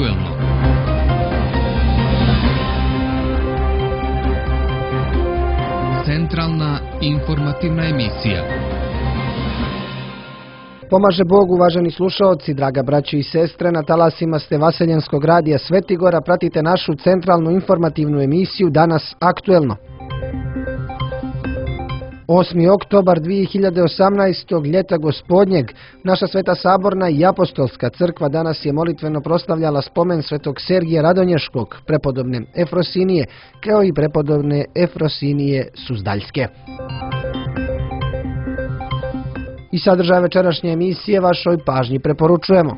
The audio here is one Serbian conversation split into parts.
aktuelno. Centralna informativna emisija. Pomaže Bog, uvaženi slušaoci, draga braćo i sestre, na talasima ste Vaseljenskog radija Svetigora, pratite našu centralnu informativnu emisiju Danas aktuelno. 8. oktobar 2018. ljeta gospodnjeg, naša Sveta Saborna i Apostolska crkva danas je molitveno proslavljala spomen svetog Sergija Radonješkog, prepodobne Efrosinije, kao i prepodobne Efrosinije Suzdaljske. I sadržaj večerašnje emisije vašoj pažnji preporučujemo.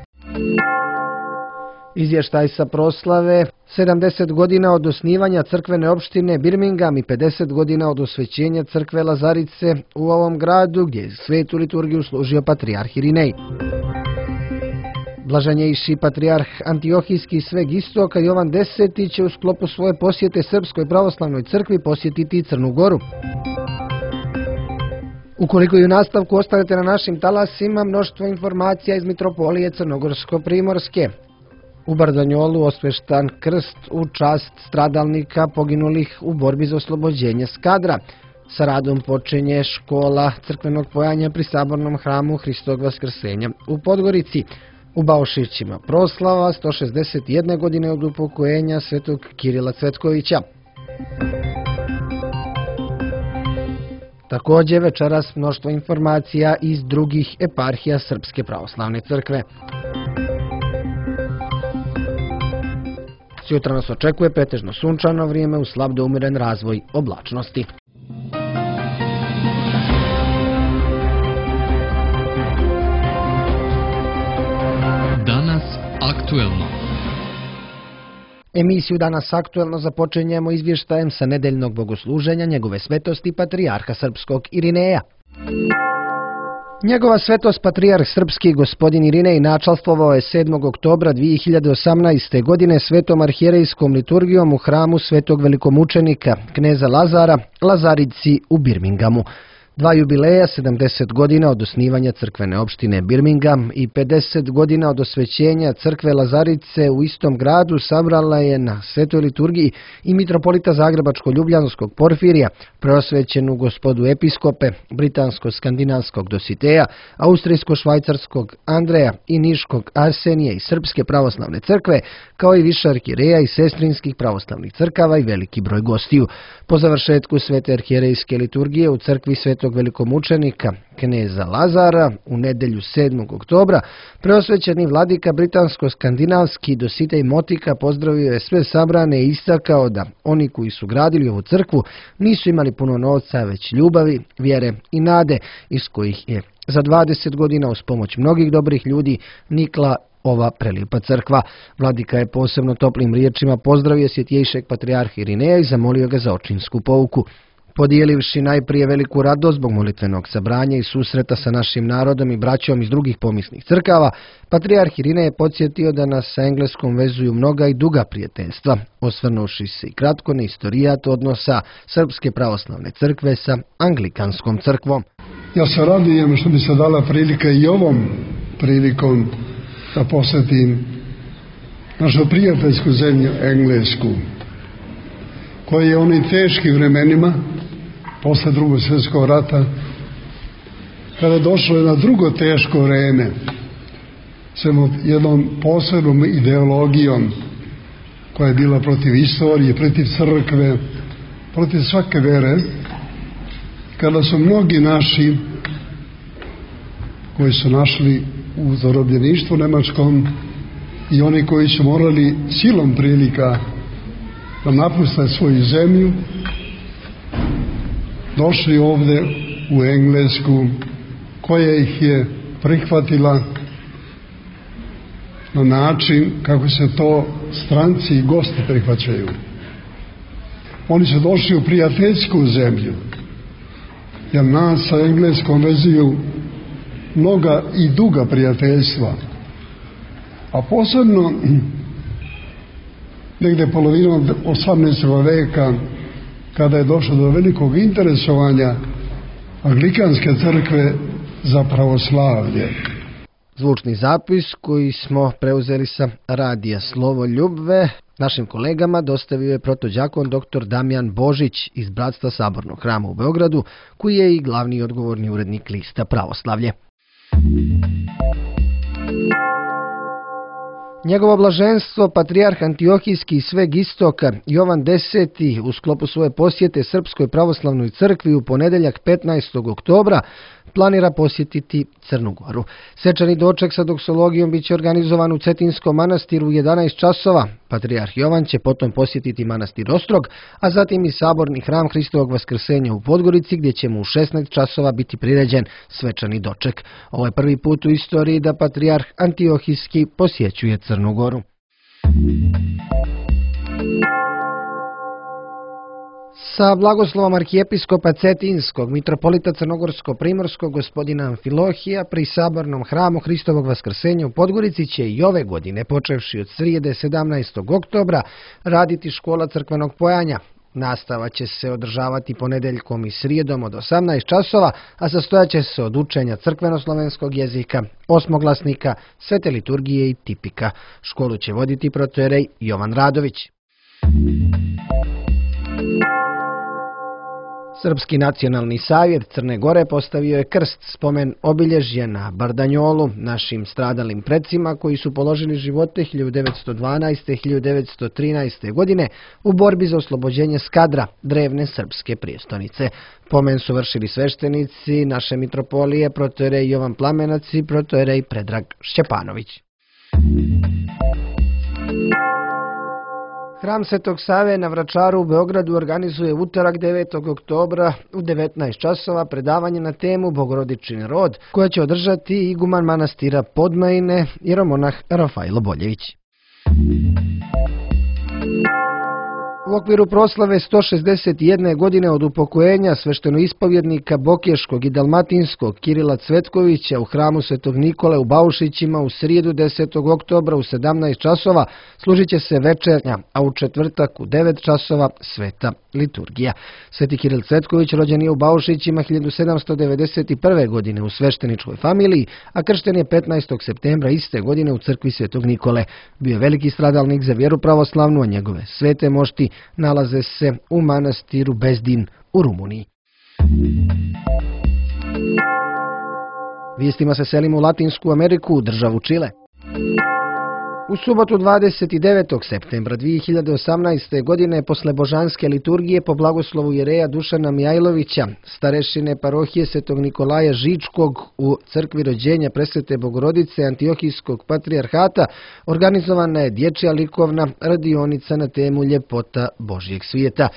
Izvještaj sa proslave 70 godina od osnivanja crkvene opštine Birmingham i 50 godina od osvećenja crkve Lazarice u ovom gradu gdje je svetu liturgiju služio patrijarh Irinej. Blaženjejši patrijarh Antiohijski sveg istoka Jovan X će u sklopu svoje posjete Srpskoj pravoslavnoj crkvi posjetiti i Crnu Goru. Ukoliko i u nastavku ostanete na našim talasima, mnoštvo informacija iz Mitropolije Crnogorsko-Primorske. U Bardanjolu osveštan krst u čast stradalnika poginulih u borbi za oslobođenje Skadra. Sa radom počinje škola crkvenog pojanja pri Sabornom hramu Hristog Vaskrsenja u Podgorici. U Baušićima proslava 161 godine od upokojenja svetog Kirila Cvetkovića. Također večeras mnoštvo informacija iz drugih eparhija Srpske pravoslavne crkve. Sutra nas očekuje pretežno sunčano vrijeme uz slab do umiren razvoj oblačnosti. Danas aktuelno. Emisiju Danas aktuelno započinjemo izvještajem sa nedeljnog bogosluženja njegove svetosti patrijarha srpskog Irineja. Njegova svetost patrijarh srpski gospodin Irinej načalstvovao je 7. oktobra 2018. godine svetom arhijerejskom liturgijom u hramu svetog velikomučenika kneza Lazara, Lazarici u Birminghamu. Dva jubileja, 70 godina od osnivanja crkvene opštine Birmingham i 50 godina od osvećenja crkve Lazarice u istom gradu sabrala je na svetoj liturgiji i mitropolita Zagrebačko-Ljubljanskog Porfirija, preosvećenu gospodu episkope, britansko-skandinavskog Dositeja, austrijsko-švajcarskog Andreja i niškog Arsenija i Srpske pravoslavne crkve, kao i više arhijereja i sestrinskih pravoslavnih crkava i veliki broj gostiju. Po završetku svete arhijerejske liturgije u crkvi svetog velikomučenika kneza Lazara u nedelju 7. oktobra preosvećeni vladika britansko-skandinavski Dositej Motika pozdravio je sve sabrane i istakao da oni koji su gradili ovu crkvu nisu imali puno novca, već ljubavi, vjere i nade, iz kojih je za 20 godina uz pomoć mnogih dobrih ljudi nikla ova prelijepa crkva. Vladika je posebno toplim riječima pozdravio svjetjejšeg patrijarha Irineja i zamolio ga za očinsku pouku. Podijelivši najprije veliku radost zbog molitvenog sabranja i susreta sa našim narodom i braćom iz drugih pomisnih crkava, patrijarh Irinej je podsjetio da nas sa Engleskom vezuju mnoga i duga prijateljstva, osvrnuši se i kratko na istorijat odnosa Srpske pravoslavne crkve sa Anglikanskom crkvom. Ja se radujem što mi se dala prilika i ovom prilikom da posjetim našu prijateljsku zemlju Englesku, koja je u onim teškim vremenima posle Drugog svjetskog rata, kada je došlo na drugo teško vreme, sa jednom posebnom ideologijom koja je bila protiv istorije, protiv crkve, protiv svake vere, kada su mnogi naši koji su našli u zarobljeništvu nemačkom i oni koji su morali silom prilika da napuste svoju zemlju, došli ovdje u Englesku, koja ih je prihvatila na način kako se to stranci i gosti prihvaćaju. Oni su došli u prijateljsku zemlju, jer nas sa Engleskom vezuju mnoga i duga prijateljstva, a posebno negdje polovinom 18. veka, kada je došlo do velikog interesovanja Anglikanske crkve za pravoslavlje. zvučni zapis koji smo preuzeli sa radija Slovo Ljubve. Našim kolegama dostavio je protođakon dr. Damjan Božić iz Bratstva Sabornog hrama u Beogradu, koji je i glavni i odgovorni urednik lista Pravoslavlje. Njegovo blaženstvo, patrijarh Antiohijski i sveg istoka Jovan X. u sklopu svoje posjete Srpskoj pravoslavnoj crkvi u ponedeljak 15. oktobra planira posjetiti Crnu Goru. Svečani doček sa doksologijom biće organizovan u Cetinskom manastiru u 11 časova. Patrijarh Jovan će potom posjetiti manastir Ostrog, a zatim i saborni hram Hristovog vaskrsenja u Podgorici, gdje će mu u 16 časova biti priređen svečani doček. Ovo je prvi put u istoriji da patrijarh Antiohijski posjećuje Crnu Goru. Sa blagoslovom arhijepiskopa Cetinskog, mitropolita Crnogorsko-primorskog gospodina Amfilohija pri sabornom hramu Hristovog vaskrsenja u Podgorici će i ove godine, počevši od srijede 17. oktobra, raditi škola crkvenog pojanja. Nastava će se održavati ponedeljkom i srijedom od 18 časova, a sastojat će se od učenja crkvenoslovenskog jezika, osmoglasnika, svete liturgije i tipika. Školu će voditi protojerej Jovan Radović. Srpski nacionalni savjet Crne Gore postavio je krst, spomen obilježje na Bardanjolu, našim stradalim precima koji su položili živote 1912. i 1913. godine u borbi za oslobođenje Skadra, drevne srpske prijestonice. Pomen su vršili sveštenici naše mitropolije, protojerej Jovan Plamenac i protojerej Predrag Šćepanović. Hram Svetog Save na Vračaru u Beogradu organizuje utorak 9. oktobra u 19 časova predavanje na temu Bogorodičin rod, koje će održati iguman manastira Podmajine, jeromonah Rafajlo Boljević. U okviru proslave 161. godine od upokojenja sveštenoispovjednika Bokješkog i Dalmatinskog Kirila Cvetkovića u hramu Svetog Nikole u Baušićima u srijedu 10. oktobra u 17 časova služit će se večernja, a u četvrtak u 9 časova sveta liturgija. Sveti Kiril Cvetković rođen je u Baušićima 1791. godine u svešteničkoj familiji, a kršten je 15. septembra iste godine u crkvi Svetog Nikole. Bio je veliki stradalnik za vjeru pravoslavnu, a njegove svete mošti nalaze se u manastiru Bezdin u Rumuniji. Vijestima se selimo u Latinsku Ameriku, u državu Čile. U subotu 29. septembra 2018. godine posle božanske liturgije po blagoslovu jereja Dušana Mijajlovića, starešine parohije Svetog Nikolaja Žičkog u crkvi rođenja Presvete Bogorodice Antiohijskog patrijarhata, organizovana je dječja likovna radionica na temu Ljepota Božjeg svijeta.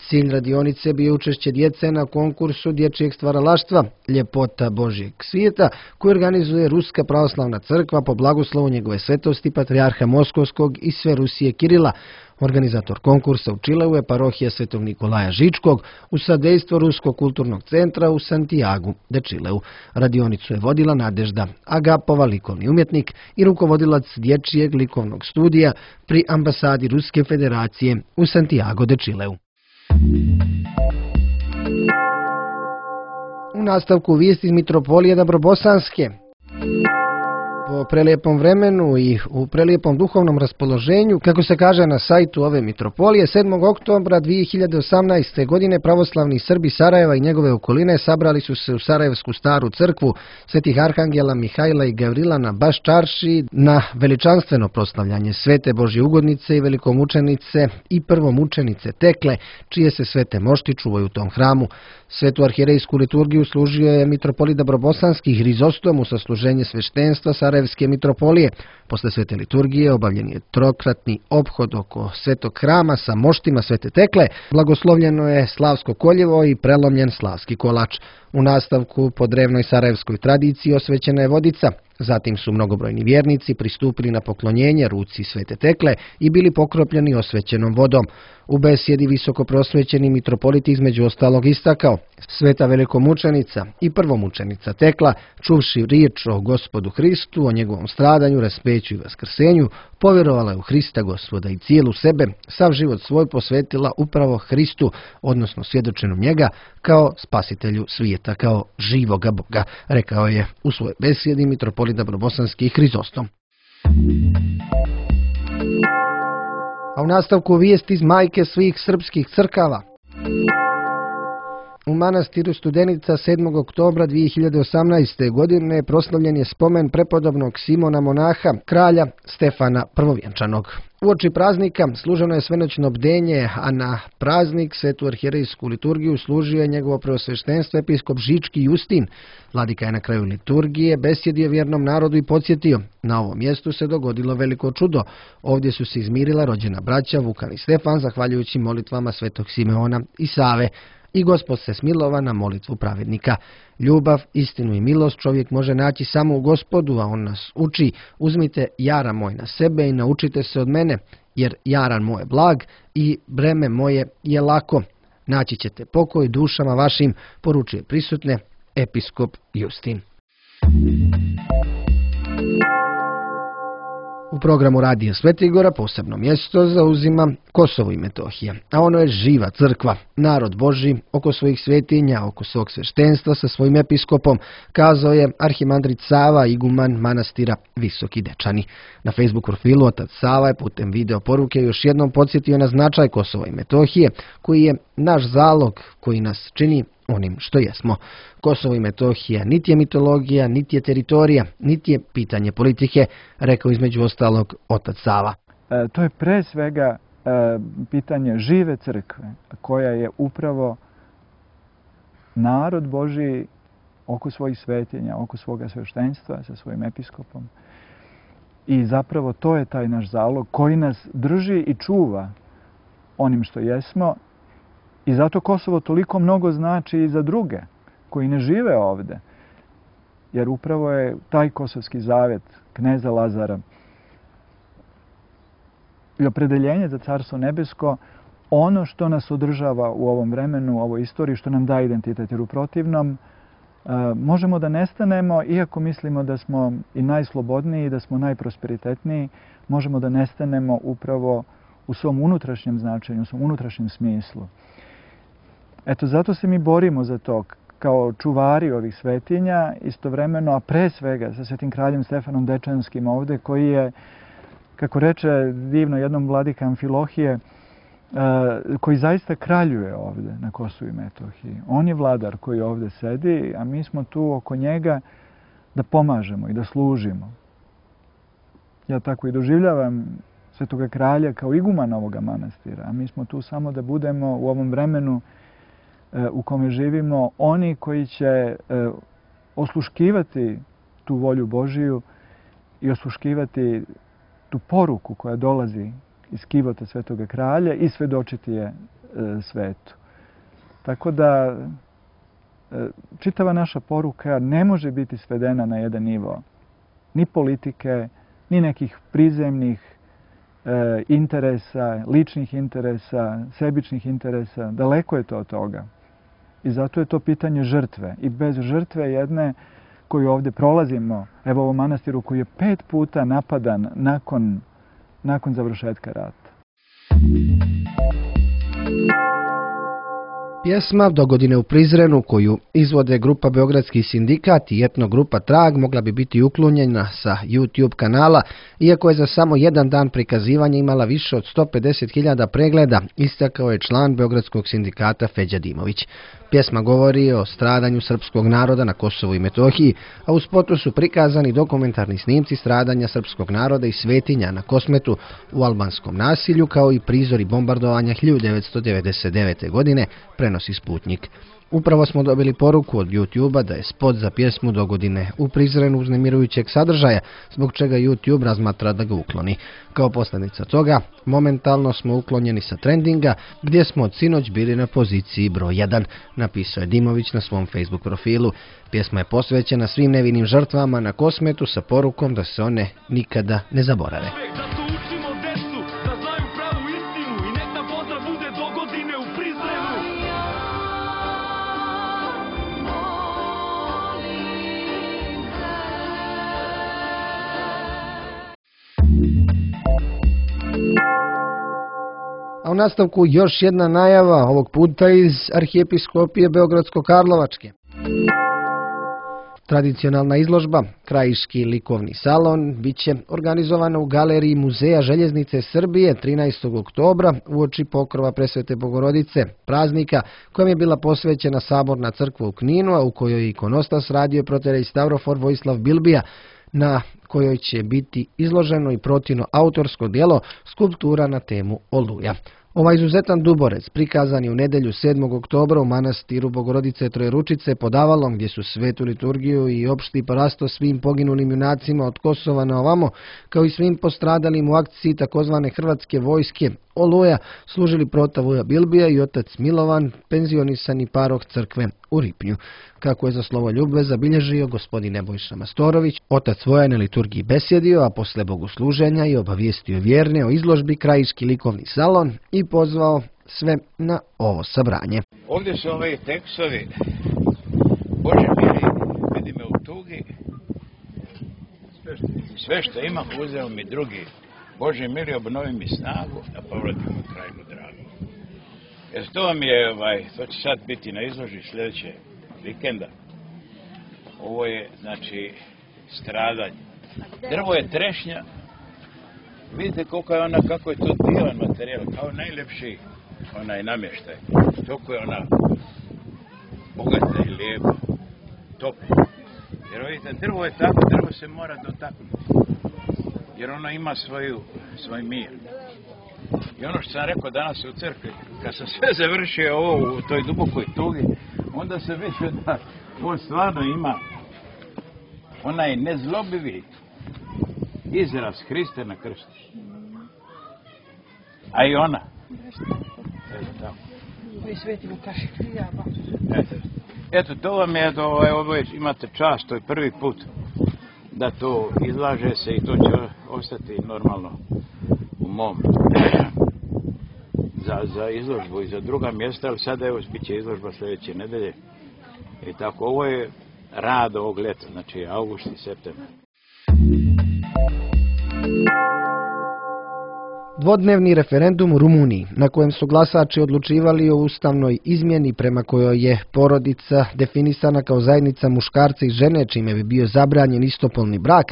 Cilj radionice bio učešće djece na konkursu dječjeg stvaralaštva Ljepota Božjeg svijeta, koji organizuje Ruska pravoslavna crkva po blagoslovu njegove svetosti patrijarha Moskovskog i sve Rusije Kirila. Organizator konkursa u Čileu je parohija Svetog Nikolaja Žičkog u sadejstvo Ruskog kulturnog centra u Santiagu de Čileu. Radionicu je vodila Nadežda Agapova, likovni umjetnik i rukovodilac dječjeg likovnog studija pri ambasadi Ruske federacije u Santiago de Čileu. U nastavku vijesti iz mitropolije Dabrobosanske. Po prelijepom vremenu i u prelijepom duhovnom raspoloženju, kako se kaže na sajtu ove mitropolije, 7. oktobra 2018. godine pravoslavni Srbi Sarajeva i njegove okoline sabrali su se u Sarajevsku staru crkvu svetih arhangela Mihajla i Gavrila na Baš čarši na veličanstveno proslavljanje svete Božje ugodnice i velikomučenice i prvomučenice Tekle, čije se svete mošti čuvaju u tom hramu. Svetu arhijerejsku liturgiju služio je mitropolit Dabrobosanski Hrizostom u sasluženje sveštenstva Sarajevske mitropolije. Posle svete liturgije obavljen je trokratni ophod oko svetog hrama sa moštima svete Tekle, blagoslovljeno je slavsko koljevo i prelomljen slavski kolač. U nastavku po drevnoj sarajevskoj tradiciji osvećena je vodica. Zatim su mnogobrojni vjernici pristupili na poklonjenje ruci svete Tekle i bili pokropljeni osvećenom vodom. U besjedi visoko prosvećeni mitropolit između ostalog istakao: sveta velikomučenica i prvomučenica Tekla, čuvši riječ o Gospodu Hristu, o njegovom stradanju, raspeću i vaskrsenju, povjerovala je u Hrista Gospoda i cijelu sebe, sav život svoj posvetila upravo Hristu, odnosno svjedočenju njega kao spasitelju svijeta, kao živoga Boga, rekao je u svojoj besjedi mitropolit Dabrobosanski Hrizostom. A u nastavku vijesti iz majke svih srpskih crkava. U manastiru Studenica 7. oktobra 2018. godine proslavljen je spomen prepodobnog Simona monaha, kralja Stefana Prvovjenčanog. Uoči praznika služeno je svenoćno bdenje, a na praznik svetu arhijerejsku liturgiju služio je njegovo preosveštenstvo episkop Žički Justin. Vladika je na kraju liturgije besjedio vjernom narodu i podsjetio: na ovom mjestu se dogodilo veliko čudo. Ovdje su se izmirila rođena braća Vukan i Stefan zahvaljujući molitvama svetog Simeona i Save. I Gospod se smilova na molitvu pravednika. Ljubav, istinu i milost čovjek može naći samo u Gospodu, a on nas uči: uzmite jaran moj na sebe i naučite se od mene, jer jaran moj je blag i breme moje je lako. Naći ćete pokoj dušama vašim, poručuje prisutne episkop Justin. U programu Radija Svetigora posebno mjesto zauzima Kosovo i Metohija, a ono je živa crkva, narod Božji oko svojih svetinja, oko svog sveštenstva sa svojim episkopom, kazao je arhimandrit Sava, iguman manastira Visoki Dečani. Na Facebook profilu otac Sava je putem video poruke još jednom podsjetio na značaj Kosova i Metohije, koji je naš zalog koji nas čini onim što jesmo. Kosovo i Metohija niti je mitologija, niti je teritorija, niti je pitanje politike, rekao između ostalog otac Sava. To je pre svega pitanje žive crkve, koja je upravo narod Božji oko svojih svetinja, oko svoga sveštenstva sa svojim episkopom. I zapravo to je taj naš zalog koji nas drži i čuva onim što jesmo. I zato Kosovo toliko mnogo znači i za druge koji ne žive ovde. Jer upravo je taj kosovski zavet kneza Lazara i opredeljenje za Carstvo nebesko ono što nas održava u ovom vremenu, u ovoj istoriji, što nam daje identitet. Jer u protivnom možemo da nestanemo, iako mislimo da smo i najslobodniji, da smo najprosperitetniji, možemo da nestanemo upravo u svom unutrašnjem značenju, u svom unutrašnjem smislu. Eto, zato se mi borimo za to kao čuvari ovih svetinja, istovremeno, a pre svega sa svetim kraljem Stefanom Dečanskim ovde, koji je, kako reče divno jednom vladika Amfilohije, koji zaista kraljuje ovde na Kosovu i Metohiji. On je vladar koji ovde sedi, a mi smo tu oko njega da pomažemo i da služimo. Ja tako i doživljavam svetoga kralja kao igumana ovoga manastira, a mi smo tu samo da budemo u ovom vremenu u kome živimo oni koji će osluškivati tu volju Božiju i osluškivati tu poruku koja dolazi iz kivota svetoga kralja i svedočiti je svetu. Tako da čitava naša poruka ne može biti svedena na jedan nivo ni politike, ni nekih prizemnih interesa, ličnih interesa, sebičnih interesa. Daleko je to od toga. I zato je to pitanje žrtve. I bez žrtve jedne koju ovdje prolazimo, evo ovom manastiru koji je 5 puta napadan nakon završetka rata. Pjesma Dogodine u Prizrenu, koju izvode grupa Beogradski sindikat i etno grupa Trag, mogla bi biti uklonjena sa YouTube kanala, iako je za samo jedan dan prikazivanja imala više od 150.000 pregleda, istakao je član Beogradskog sindikata Feđa Dimović. Pjesma govori o stradanju srpskog naroda na Kosovu i Metohiji, a u spotu su prikazani dokumentarni snimci stradanja srpskog naroda i svetinja na Kosmetu u albanskom nasilju, kao i prizori bombardovanja 1999. godine, prenosi Sputnjik. Upravo smo dobili poruku od YouTube-a da je spot za pjesmu Dogodine u Prizrenu uznemirujućeg sadržaja, zbog čega YouTube razmatra da ga ukloni. Kao posljedica toga, momentalno smo uklonjeni sa trendinga, gdje smo od sinoć bili na poziciji broj 1, napisao je Dimović na svom Facebook profilu. Pjesma je posvećena svim nevinim žrtvama na Kosmetu sa porukom da se one nikada ne zaborave. A u nastavku još jedna najava, ovog puta iz Arhijepiskopije Beogradsko-Karlovačke. Tradicionalna izložba, Krajiški likovni salon, bit će organizovana u galeriji Muzeja željeznice Srbije 13. oktobra uoči pokrova Presvete Bogorodice, praznika kojem je bila posvećena Saborna crkva u Kninu, a u kojoj je ikonostas radio proterej Stavrofor Vojislav Bilbija, na kojoj će biti izloženo i Protino autorsko djelo Skulptura na temu Oluja. Ovaj izuzetan duborec prikazan je u nedjelju 7. oktobra u manastiru Bogorodice Trojeručice pod Avalom, gdje su svetu liturgiju i opšti parasto svim poginulim junacima od Kosova na ovamo, kao i svim postradalim u akciji takozvane Hrvatske vojske Oluja, služili prota Vuja Bilbija i otac Milovan, penzionisani paroh crkve u Ripnju. Kako je za slovo ljubve zabilježio gospodin Nebojša Mastorović, otac Voja na liturgiji besjedio, a posle bogosluženja i obavijestio vjerne o izložbi Krajiški likovni salon i pozvao sve na ovo sabranje. Ovdje su ovi tekstovi, Bože mili, vidi me u tugi, sve što imam uzeo mi drugi. Bože mili, obnovi mi snagu, da povratim u krajinu dragu. Jer to vam je, to će sad biti na izložbi sljedeće vikenda. Ovo je, znači, stradanje. Drvo je trešnja. Vidite koliko je ona, kako je to divan materijal, kao najljepši onaj namještaj. Toliko je ona bogata i lijepa, topla. Jer vidite, drvo je tako, drvo se mora dotaknuti. Jer ono ima svoj mir. I ono što sam rekao danas u crkvi, kad sam sve završio ovo u toj dubokoj tugi, onda se vidio da on stvarno ima onaj nezlobivi izraz Hriste na krstu. A i ona. Eto, to vam je, ovo imate čast, to je prvi put da to izlaže se i to će ostati normalno u mom za izložbu i za druga mjesta, ali sada evo bit će izložba sljedeće nedelje. I tako, ovo je rad ovog ljeta, znači august i septembar. Dvodnevni referendum u Rumuniji, na kojem su glasači odlučivali o ustavnoj izmjeni prema kojoj je porodica definisana kao zajednica muškarca i žene, čime bi bio zabranjen istopolni brak,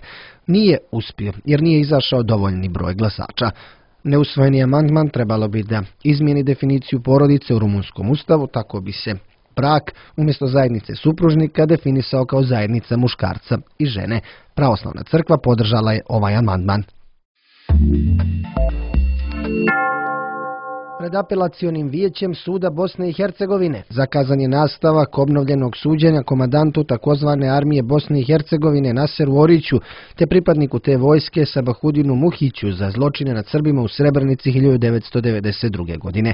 nije uspio jer nije izašao dovoljni broj glasača. Neusvojeni amandman trebalo bi da izmijeni definiciju porodice u rumunskom ustavu, tako bi se brak umjesto zajednice supružnika definisao kao zajednica muškarca i žene. Pravoslavna crkva podržala je ovaj amandman. Pred apelacionim vijećem suda Bosne i Hercegovine zakazan je nastavak obnovljenog suđenja komandantu takozvane armije Bosne i Hercegovine Naseru Oriću te pripadniku te vojske Sabahudinu Muhiću za zločine nad Srbima u Srebrenici 1992. godine.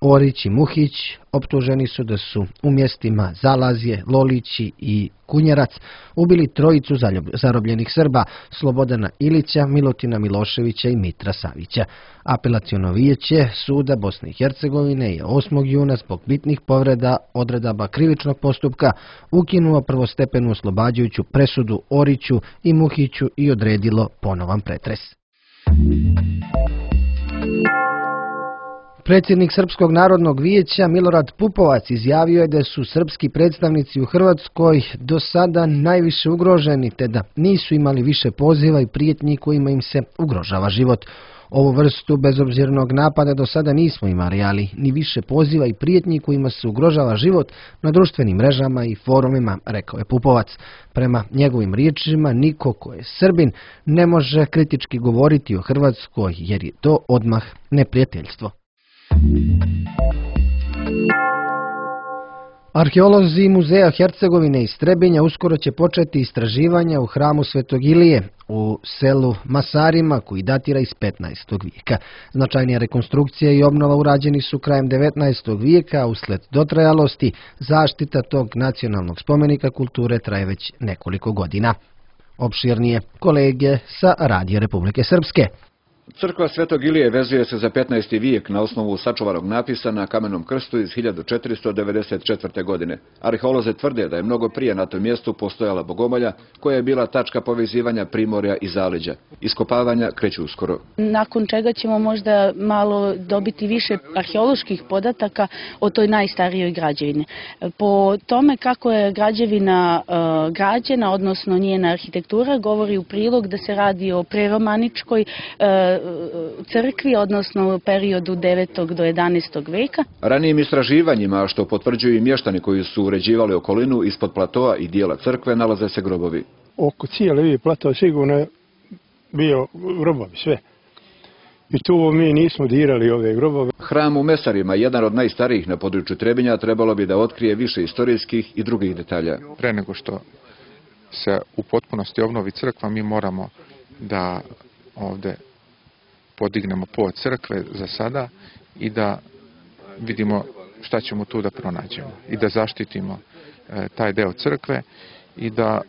Orić i Muhić optuženi su da su u mjestima Zalazje, Lolići i Kunjerac ubili trojicu zarobljenih Srba, Slobodana Ilića, Milutina Miloševića i Mitra Savića. Apelaciono vijeće suda Bosne i Hercegovine je 8. juna zbog bitnih povreda odredaba krivičnog postupka ukinuo prvostepenu oslobađajuću presudu Oriću i Muhiću i odredilo ponovan pretres. Predsjednik Srpskog narodnog vijeća Milorad Pupovac izjavio je da su srpski predstavnici u Hrvatskoj do sada najviše ugroženi, te da nisu imali više poziva i prijetnji kojima im se ugrožava život. Ovu vrstu bezobzirnog napada do sada nismo imali, ali ni više poziva i prijetnji kojima se ugrožava život na društvenim mrežama i forumima, rekao je Pupovac. Prema njegovim riječima, niko ko je Srbin ne može kritički govoriti o Hrvatskoj jer je to odmah neprijateljstvo. Arheolozi Muzeja Hercegovine iz Trebinja uskoro će početi istraživanja u hramu Svetog Ilije u selu Masarima koji datira iz 15. vijeka. Značajnija rekonstrukcija i obnova urađeni su krajem 19. vijeka, a usled dotrajalosti zaštita tog nacionalnog spomenika kulture traje već nekoliko godina. Opširnije kolege sa Radija Republike Srpske. Crkva Svetog Ilije vezuje se za 15. vijek na osnovu sačuvanog napisa na kamenom krstu iz 1494. godine. Arheolozi tvrde da je mnogo prije na tom mjestu postojala bogomolja koja je bila tačka povezivanja primorja i zaleđa. Iskopavanja kreću uskoro. Nakon čega ćemo možda malo dobiti više arheoloških podataka o toj najstarijoj građevini. Po tome kako je građevina građena, odnosno njena arhitektura, govori u prilog da se radi o preromaničkoj crkvi, odnosno periodu 9. do 11. veka. Ranijim istraživanjima, što potvrđuju i mještani koji su uređivali okolinu, ispod platoa i dijela crkve nalaze se grobovi. Oko cijele platoa sigurno je bio grobovi, sve. I tu mi nismo dirali ove grobove. Hram u Mesarima, jedan od najstarijih na području Trebinja, trebalo bi da otkrije više istorijskih i drugih detalja. Pre nego što se u potpunosti obnovi crkva, mi moramo da ovde podignemo pod crkve za sada i da vidimo šta ćemo tu da pronađemo i da zaštitimo taj deo crkve i da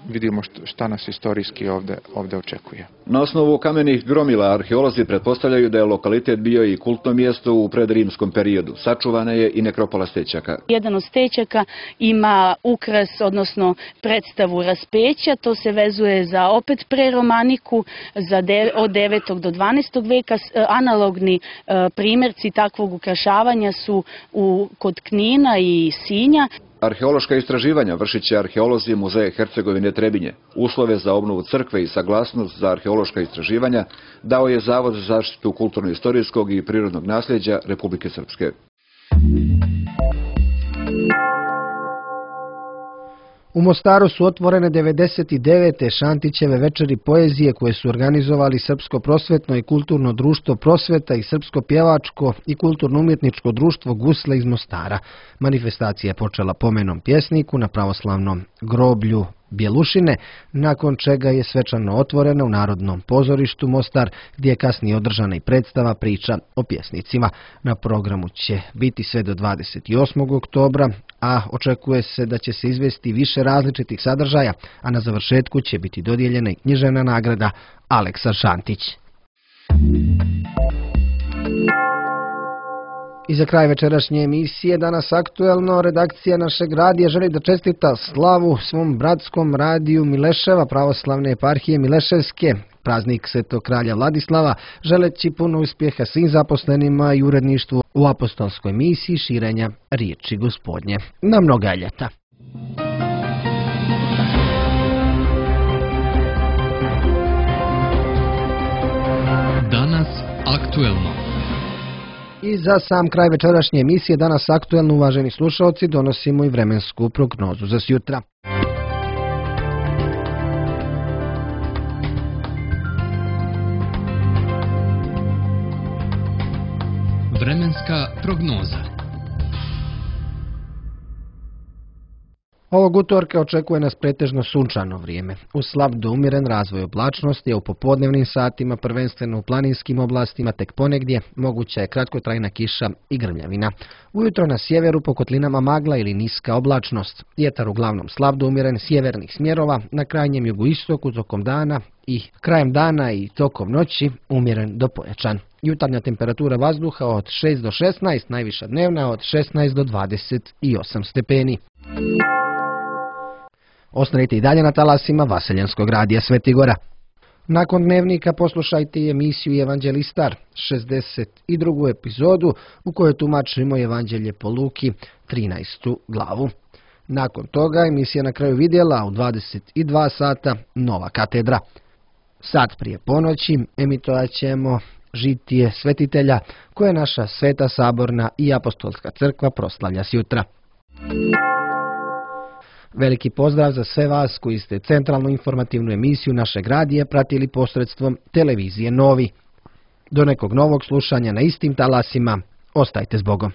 vidimo šta nas istorijski ovde očekuje. Na osnovu kamenih gromila arheolozi pretpostavljaju da je lokalitet bio i kultno mjesto u predrimskom periodu. Sačuvana je i nekropola Stećaka. Jedan od Stećaka ima ukras, odnosno predstavu raspeća. To se vezuje za opet preromaniku, od 9. do 12. veka. Analogni primjerci takvog ukrašavanja su kod Knina i Sinja. Arheološka istraživanja vršit će arheolozi Muzeja Hercegovine Trebinje. Uslove za obnovu crkve i saglasnost za arheološka istraživanja dao je Zavod za zaštitu kulturno-istorijskog i prirodnog nasljeđa Republike Srpske. U Mostaru su otvorene 99. Šantićeve večeri poezije koje su organizovali Srpsko prosvetno i kulturno društvo Prosveta i Srpsko pjevačko i kulturno-umjetničko društvo Gusle iz Mostara. Manifestacija je počela pomenom pjesniku na pravoslavnom groblju Bjelušine, nakon čega je svečano otvorena u Narodnom pozorištu Mostar, gdje je kasnije održana i predstava priča o pjesnicima. Na programu će biti sve do 28. oktobra, a očekuje se da će se izvesti više različitih sadržaja, a na završetku će biti dodijeljena i književna nagrada Aleksa Šantić. I za kraj večerašnje emisije, danas aktuelno, redakcija našeg radija želi da čestita slavu svom bratskom radiju Mileševa, pravoslavne eparhije Mileševske, praznik Svetog kralja Vladislava, želeći puno uspjeha svim zaposlenima i uredništvu u apostolskoj misiji širenja riječi Gospodnje. Na mnoga ljeta. Danas aktuelno. I za sam kraj večerašnje emisije, danas aktuelno, uvaženi slušalci, donosimo i vremensku prognozu za sjutra. Vremenska prognoza. Ovog utorka očekuje nas pretežno sunčano vrijeme. Uz slab do umjeren razvoj oblačnosti, a u popodnevnim satima, prvenstveno u planinskim oblastima, tek ponegdje moguća je kratkotrajna kiša i grmljavina. Ujutro na sjeveru po kotlinama magla ili niska oblačnost. Vjetar uglavnom slab do umjeren sjevernih smjerova, na krajnjem jugoistoku tokom dana i krajem dana i tokom noći umjeren do pojačan. Jutarnja temperatura vazduha od 6 do 16, najviša dnevna od 16 do 28 stepeni. Ostanite i dalje na talasima Vaseljanskog radija Svetigora. Nakon dnevnika poslušajte i emisiju Evanđelistar, 62. epizodu u kojoj tumačimo Evanđelje po Luki, 13. glavu. Nakon toga emisija na kraju vidjela u 22 sata Nova katedra. Sad prije ponoći emitovat ćemo žitije svetitelja koje naša Sveta saborna i apostolska crkva proslavlja sjutra. Veliki pozdrav za sve vas koji ste centralnu informativnu emisiju našeg radija pratili posredstvom televizije Novi. Do nekog novog slušanja na istim talasima, ostajte s Bogom.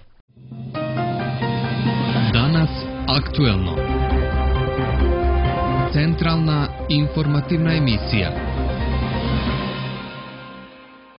Danas aktuelno. Centralna informativna emisija.